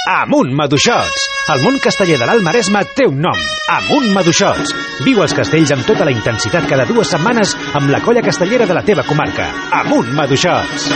Amunt Maduixots! El món casteller de l'Alt Maresme té un nom. Amunt Maduixots! Viu els castells amb tota la intensitat cada 2 setmanes amb la colla castellera de la teva comarca. Amunt Maduixots!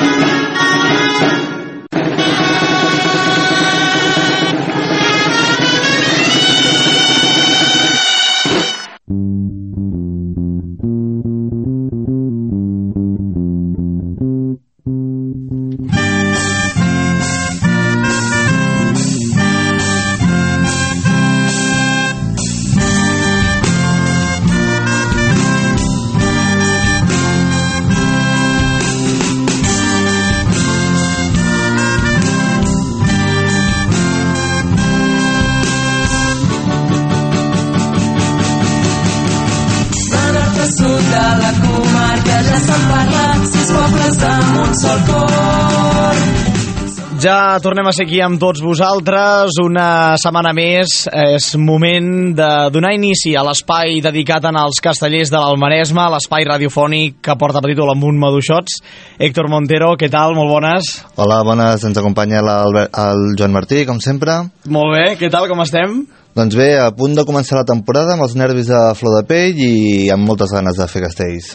Ja tornem a ser aquí amb tots vosaltres una setmana més. És moment de donar inici a l'espai dedicat als castellers de l'Alt Maresme, l'espai radiofònic que porta per títol Amunt Maduixots. Héctor Montero, què tal? Molt bones. Hola, bones. Ens acompanya el Joan Martí, com sempre. Molt bé, què tal? Com estem? Doncs bé, a punt de començar la temporada amb els nervis a flor de pell i amb moltes ganes de fer castells.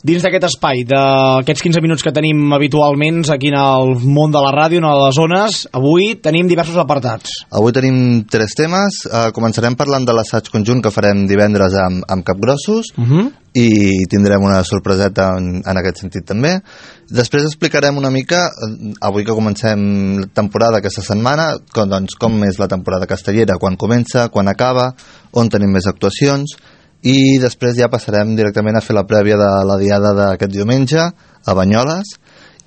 Dins d'aquest espai, d'aquests 15 minuts que tenim habitualment aquí en el món de la ràdio, en les zones, avui tenim diversos apartats. Avui tenim 3 temes. Començarem parlant de l'assaig conjunt que farem divendres amb Capgrossos i tindrem una sorpreseta en aquest sentit també. Després explicarem una mica, avui que comencem la temporada aquesta setmana, com és la temporada castellera, quan comença, quan acaba, on tenim més actuacions, i després ja passarem directament a fer la prèvia de la diada d'aquest diumenge a Banyoles,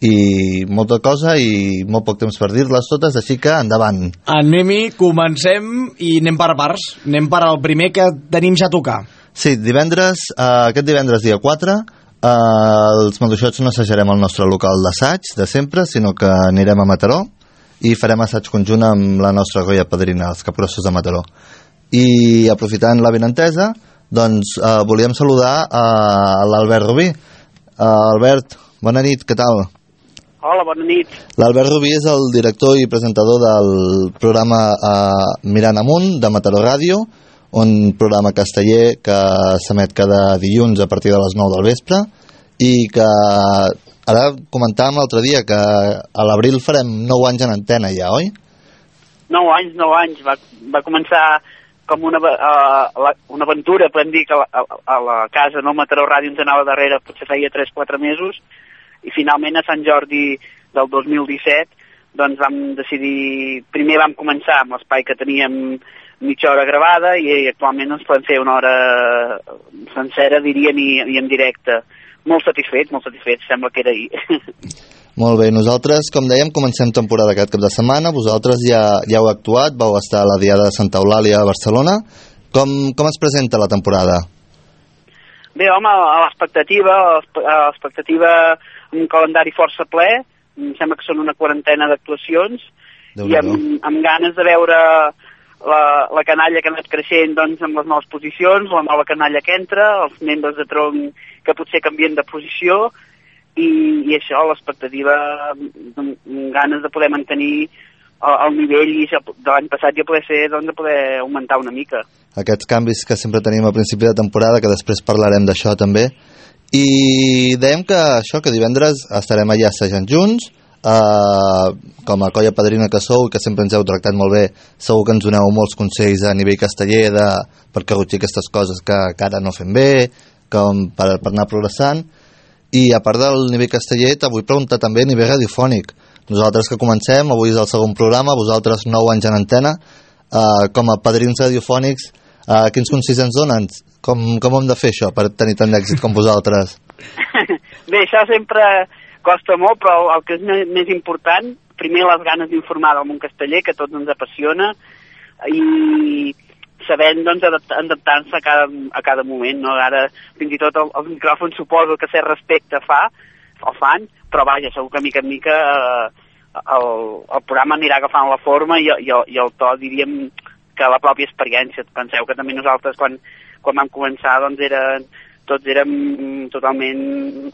i molta cosa i molt poc temps per dir-les totes, així que endavant. Anem-hi, comencem i anem per parts. Anem per al primer que tenim ja a tocar. Sí, aquest divendres dia 4, els Maduixots no assajarem al nostre local d'assaig de sempre, sinó que anirem a Mataró i farem assaig conjunt amb la nostra colla padrina, els Capgrossos de Mataró. I aprofitant la benentesa, doncs volíem saludar a l'Albert Rubí. Albert, bona nit, què tal? Hola, bona nit. L'Albert Rubí és el director i presentador del programa Mirant Amunt de Mataró Ràdio, un programa casteller que s'emet cada dilluns a partir de les 9 del vespre i que ara comentàvem l'altre dia que a l'abril farem 9 anys en antena ja, oi? 9 anys. Va començar com una aventura, podem dir, que a la casa, no, Mataró Ràdio ens anava darrere, potser feia 3-4 mesos, i finalment a Sant Jordi del 2017 doncs vam decidir, primer vam començar amb l'espai que teníem mitja hora gravada i actualment ens podem fer una hora sencera, diríem, i en directe. Molt satisfets, sembla que era ahir. Molt bé, nosaltres, com dèiem, comencem temporada aquest cap de setmana. Vosaltres ja heu actuat, vau estar a la Diada de Santa Eulàlia a Barcelona. Com es presenta la temporada? Bé, home, a l'expectativa, un calendari força ple, em sembla que són una 40 d'actuacions, i amb ganes de veure la canalla que ha anat creixent, doncs, amb les noves posicions, la nova canalla que entra, els membres de tronc que potser canvien de posició, i això, l'expectativa, amb ganes de poder mantenir el nivell i de l'any passat ja poder ser, doncs, de poder augmentar una mica. Aquests canvis que sempre tenim a principi de temporada, que després parlarem d'això també, i dèiem que divendres estarem allà assajant junts, com a colla padrina que sou i que sempre ens heu tractat molt bé, segur que ens doneu molts consells a nivell casteller per corregir aquestes coses que ara no fem bé, com per anar progressant. I a part del nivell casteller t'vull preguntar també a nivell radiofònic. Nosaltres que comencem, avui és el segon programa, vosaltres 9 anys en antena, com a padrins radiofònics, quins consells ens donen? Com hem de fer això per tenir tant d'èxit com vosaltres? Bé, això sempre costa molt, però el que és més important, primer les ganes d'informar del món casteller, que a tots ens apassiona, i sabent, doncs, adaptar-se a cada moment, no? Ara, fins i tot els micròfons suposo que cert respecte fan, però vaja, segur que mica en mica el programa anirà agafant la forma i el to, diríem, que la pròpia experiència. Penseu que també nosaltres, quan vam començar, doncs, tots érem totalment,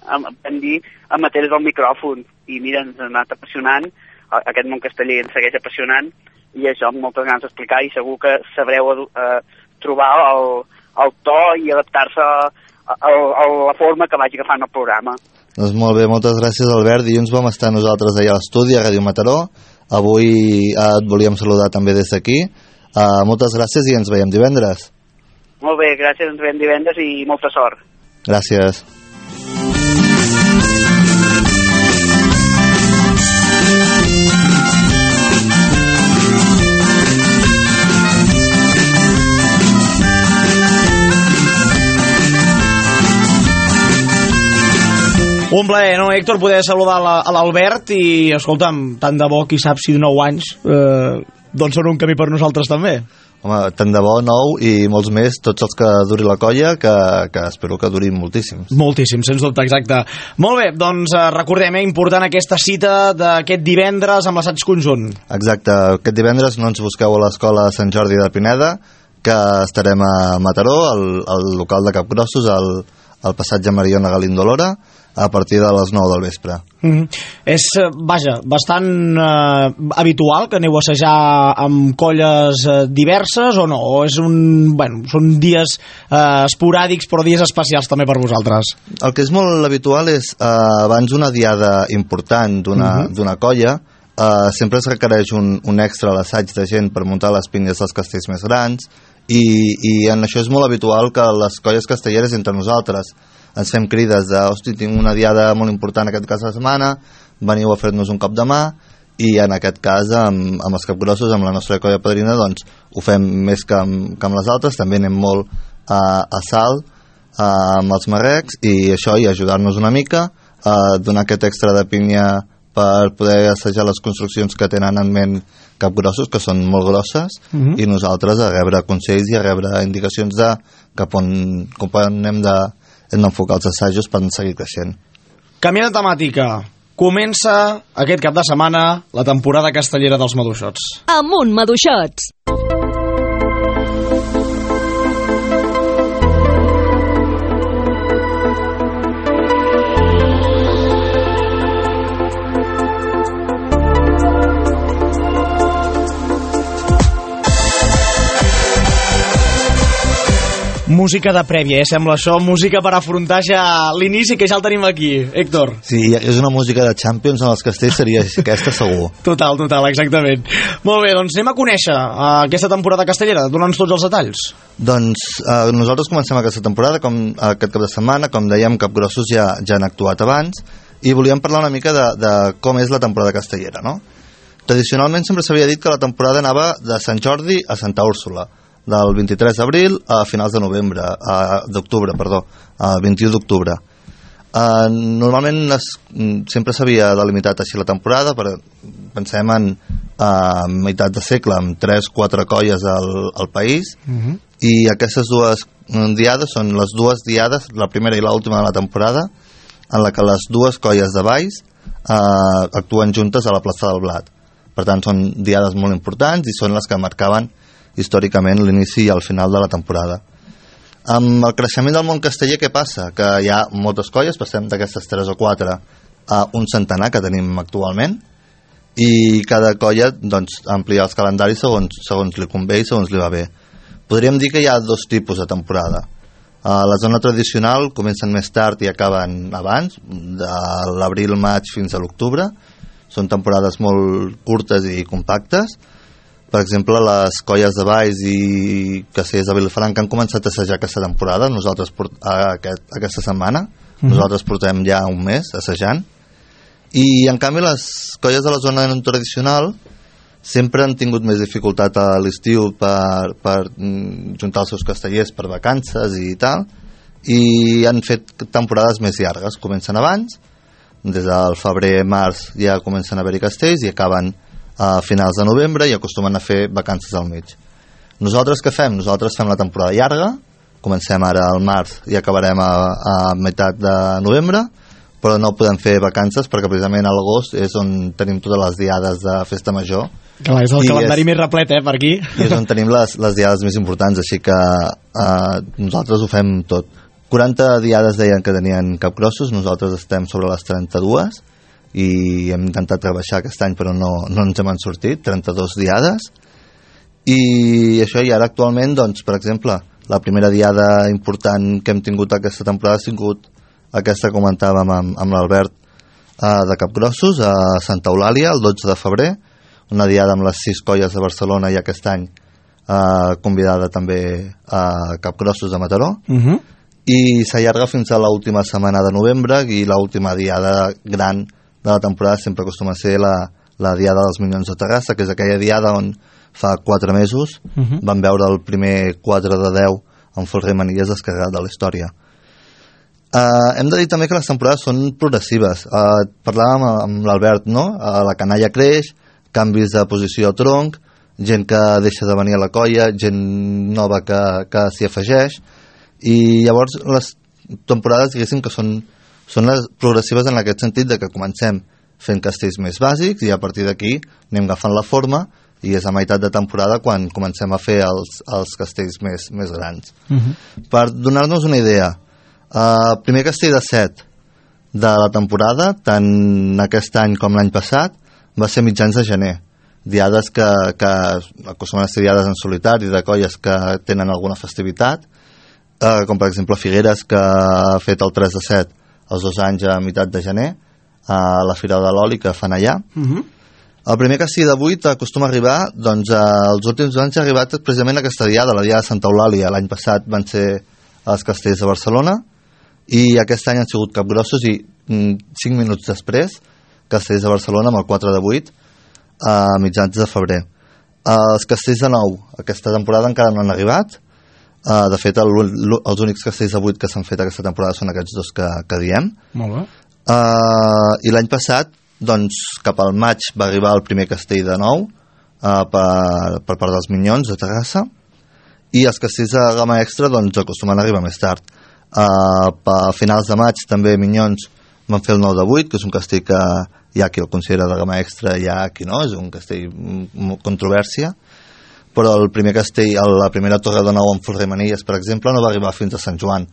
vam dir, amateurs del micròfon, i mira, ens ha anat apassionant, aquest món casteller ens segueix apassionant, i això amb moltes ganes d'explicar, i segur que sabreu trobar el to i adaptar-se a la forma que vagi agafant el programa. Doncs molt bé, moltes gràcies, Albert. Dilluns vam estar nosaltres allà a l'estudi, a Ràdio Mataró. Avui et volíem saludar també des d'aquí. Moltes gràcies i ens veiem divendres. Molt bé, gràcies, ens veiem divendres i molta sort. Gràcies. Un plaer, no, Héctor, poder saludar a l'Albert i, escolta'm, tant de bo, qui sap si de 9 anys doncs són un camí per nosaltres també. Home, tant de bo, 9 i molts més, tots els que duri la colla, que espero que durin moltíssims. Moltíssim, sens dubte, exacte. Molt bé, doncs recordem, important aquesta cita d'aquest divendres amb l'assaig conjunt. Exacte, aquest divendres no ens busqueu a l'escola Sant Jordi de Pineda, que estarem a Mataró, al local de Capgrossos, al passatge Mariona Galíndolora, a partir de les 9 del vespre. És, vaja, bastant habitual que aneu a assajar amb colles diverses o no? O és són dies esporàdics però dies especials també per vosaltres? El que és molt habitual és abans una diada important d'una colla, sempre es requereix un extra a l'assaig de gent per muntar les pinyes dels castells més grans, i en això és molt habitual que les colles castelleres entre nosaltres ens fem crides de, hosti, tinc una diada molt important aquest cas de setmana, veniu a fer-nos un cop de mà, i en aquest cas amb els Capgrossos, amb la nostra colla padrina, doncs ho fem més que amb les altres, també anem molt a Salt amb els marrecs, i això, i ajudar-nos una mica a donar aquest extra de pinya per poder assajar les construccions que tenen en ment Capgrossos, que són molt grosses, i nosaltres a rebre consells i a rebre indicacions de cap on hem d'enfocar els assajos per seguir creixent. Canviant de temàtica, comença aquest cap de setmana la temporada castellera dels Maduixots. Amunt, Maduixots! Música de prèvia, sembla això, música per afrontar ja l'inici, que ja el tenim aquí, Héctor. Sí, és una música de Champions en els castells, seria aquesta segur. Total, exactament. Molt bé, doncs anem a conèixer aquesta temporada castellera, dona'ns tots els detalls. Doncs nosaltres comencem aquesta temporada, aquest cap de setmana, com dèiem, Capgrossos ja han actuat abans, i volíem parlar una mica de com és la temporada castellera, no? Tradicionalment sempre s'havia dit que la temporada anava de Sant Jordi a Santa Úrsula, del 23 d'abril a finals de d'octubre, al 21 d'octubre. Normalment sempre s'havia delimitat així la temporada, pensem en meitat de segle, amb 3-4 colles al país, i aquestes dues diades són les dues diades, la primera i l'última de la temporada, en la que les dues colles de Valls actuen juntes a la plaça del Blat. Per tant, són diades molt importants i són les que marcaven històricament l'inici i el final de la temporada. Amb el creixement del món casteller, què passa? Que hi ha moltes colles, passem d'aquestes 3 o 4 a un centenar que tenim actualment, i cada colla doncs, amplia els calendaris segons li convé i segons li va bé. Podríem dir que hi ha 2 tipus de temporada. La zona tradicional comencen més tard i acaben abans, de l'abril-maig fins a l'octubre. Són temporades molt curtes i compactes. Per exemple, les colles de Valls i castellers de Vilafranca han començat a assajar aquesta temporada, nosaltres aquesta setmana. Nosaltres portem ja un mes assajant. I, en canvi, les colles de la zona no tradicional sempre han tingut més dificultat a l'estiu per juntar els seus castellers per vacances i tal, i han fet temporades més llargues. Comencen abans, des del febrer-març ja comencen a haver-hi castells i acaben a finals de novembre i acostumen a fer vacances al mig. Nosaltres què fem? Nosaltres fem la temporada llarga, comencem ara al març i acabarem a meitat de novembre, però no podem fer vacances perquè precisament a l'agost és on tenim totes les diades de festa major. Clar, és el calendari més replet, per aquí. I és on tenim les diades més importants, així que nosaltres ho fem tot. 40 diades deien que tenien Capgrossos, nosaltres estem sobre les 32, i hem intentat rebaixar aquest any però no ens hem sortit, 32 diades, i això, i ara actualment, doncs, per exemple, la primera diada important que hem tingut aquesta temporada ha sigut aquesta que comentàvem amb l'Albert, de Capgrossos a Santa Eulàlia el 12 de febrer, una diada amb les 6 colles de Barcelona i aquest any convidada també a Capgrossos de Mataró, i s'allarga fins a l'última setmana de novembre, i l'última diada gran de la temporada sempre acostuma a ser la diada dels Minyons de Terrassa, que és aquella diada on fa 4 mesos vam veure el primer 4 de 10 amb Folrer Manilles descarregat de la història. Hem de dir també que les temporades són progressives. Parlàvem amb l'Albert, no? La canalla creix, canvis de posició al tronc, gent que deixa de venir a la colla, gent nova que s'hi afegeix, i llavors les temporades, diguéssim, que són les progressives en aquest sentit de que comencem fent castells més bàsics i a partir d'aquí anem agafant la forma, i és a meitat de temporada quan comencem a fer els castells més grans. Per donar-nos una idea, el primer castell de 7 de la temporada, tant aquest any com l'any passat, va ser mitjans de gener. Diades que acostumen a ser diades en solitari, de colles que tenen alguna festivitat, com per exemple Figueres, que ha fet el 3 de 7 els 2 anys a meitat de gener, a la Fira de l'Oli que fan allà. El primer castell de 8 acostuma a arribar, doncs els últims anys ha arribat precisament aquesta diada, la diada de Santa Eulàlia. L'any passat van ser els castells de Barcelona, i aquest any han sigut Capgrossos, i 5 minuts després castells de Barcelona amb el 4 de 8 a mitjans de febrer. Els castells de 9 aquesta temporada encara no han arribat. De fet els únics castells de 8 que s'han fet aquesta temporada són aquests 2 que diem. Molt bé. I l'any passat, doncs, cap al maig va arribar el primer castell de 9 per part dels Minyons de Terrassa, i els castells de gamma extra doncs acostumen a arribar més tard. A finals de maig també Minyons van fer el 9 de 8, que és un castell que hi ha qui el considera de gamma extra, hi ha qui no, és un castell amb controvèrsia, però el primer castell, la primera torre de 9 amb Folrer Manilles, per exemple, no va arribar fins a Sant Joan.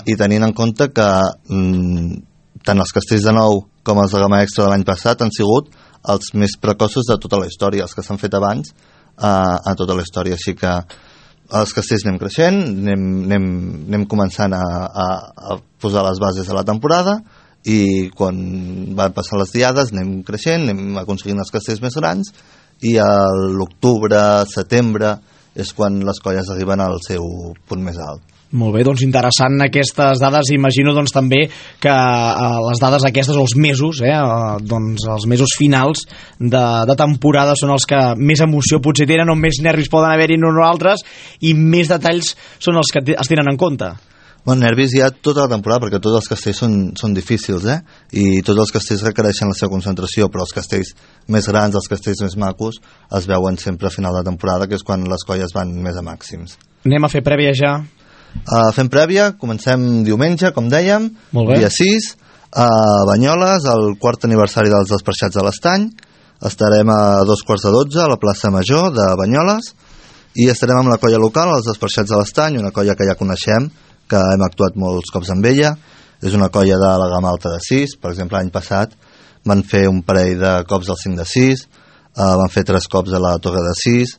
I tenint en compte que tant els castells de 9 com els de gamma extra de l'any passat han sigut els més precoços de tota la història, els que s'han fet abans a tota la història, així que els castells anem creixent, anem començant a posar les bases de la temporada, i quan van passar les diades anem creixent, anem aconseguint els castells més grans, i a l'octubre, setembre és quan les colles arriben al seu punt més alt. Molt bé, doncs interessant aquestes dades. Imagino doncs també que les dades aquestes, o els mesos, doncs els mesos finals de temporada són els que més emoció potser tenen, o més nervis poden haver-hi en uns o altres, i més detalls són els que es tenen en compte. Bueno, nervis hi ha tota la temporada, perquè tots els castells són difícils, i tots els castells requereixen la seva concentració, però els castells més grans, els castells més macos, es veuen sempre a final de temporada, que és quan les colles van més a màxims. Anem a fer prèvia ja. Fem prèvia, comencem diumenge, com dèiem, dia 6, a Banyoles, el 4è aniversari dels Desperxats de l'Estany. Estarem a 2:15 a la plaça Major de Banyoles, i estarem amb la colla local, els Desperxats de l'Estany, una colla que ja coneixem, que hem actuat molts cops amb ella. És una colla de la gamma alta de 6, per exemple l'any passat van fer un parell de cops al 5 de 6, van fer 3 cops a la torre de 6,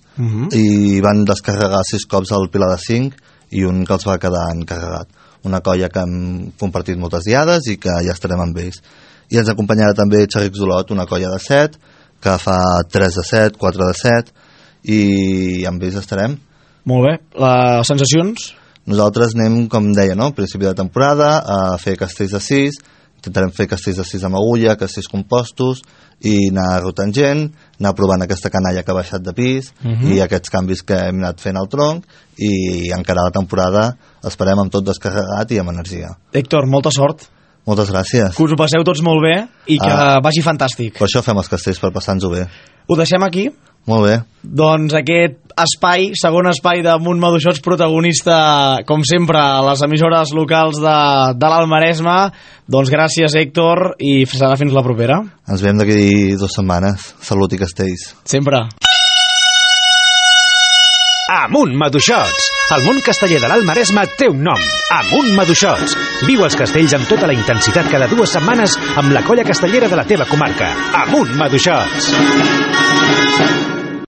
i van descarregar 6 cops al pilar de 5, i un que els va quedar encarregat. Una colla que hem compartit moltes diades i que ja estarem amb ells. I ens acompanyarà també Xerric Zolot, una colla de 7, que fa 3 de 7, 4 de 7, i amb ells estarem. Molt bé. Les sensacions? Nosaltres anem, com deia, no? Principi de temporada, a fer castells de 6, intentarem fer castells de 6 amb agulla, castells compostos, i anar rotant gent, anar provant aquesta canalla que ha baixat de pis, i aquests canvis que hem anat fent al tronc, i encara la temporada esperem amb tot descarregat i amb energia. Héctor, molta sort. Moltes gràcies. Que us ho passeu tots molt bé i que vagi fantàstic. Per això fem els castells, per passar-nos-ho bé. Ho deixem aquí? Molt bé. Doncs aquest espai, segon espai de Munt Maduixots, protagonista, com sempre, a les emissores locals de l'Alt Maresme. Doncs gràcies, Héctor, i serà fins la propera. Ens veiem d'aquí 2 setmanes. Salut i castells. Sempre. Amunt Maduixots! El món casteller de l'Alt Maresme té un nom. Amunt Maduixots! Viu els castells amb tota la intensitat cada 2 setmanes amb la colla castellera de la teva comarca. Amunt Maduixots!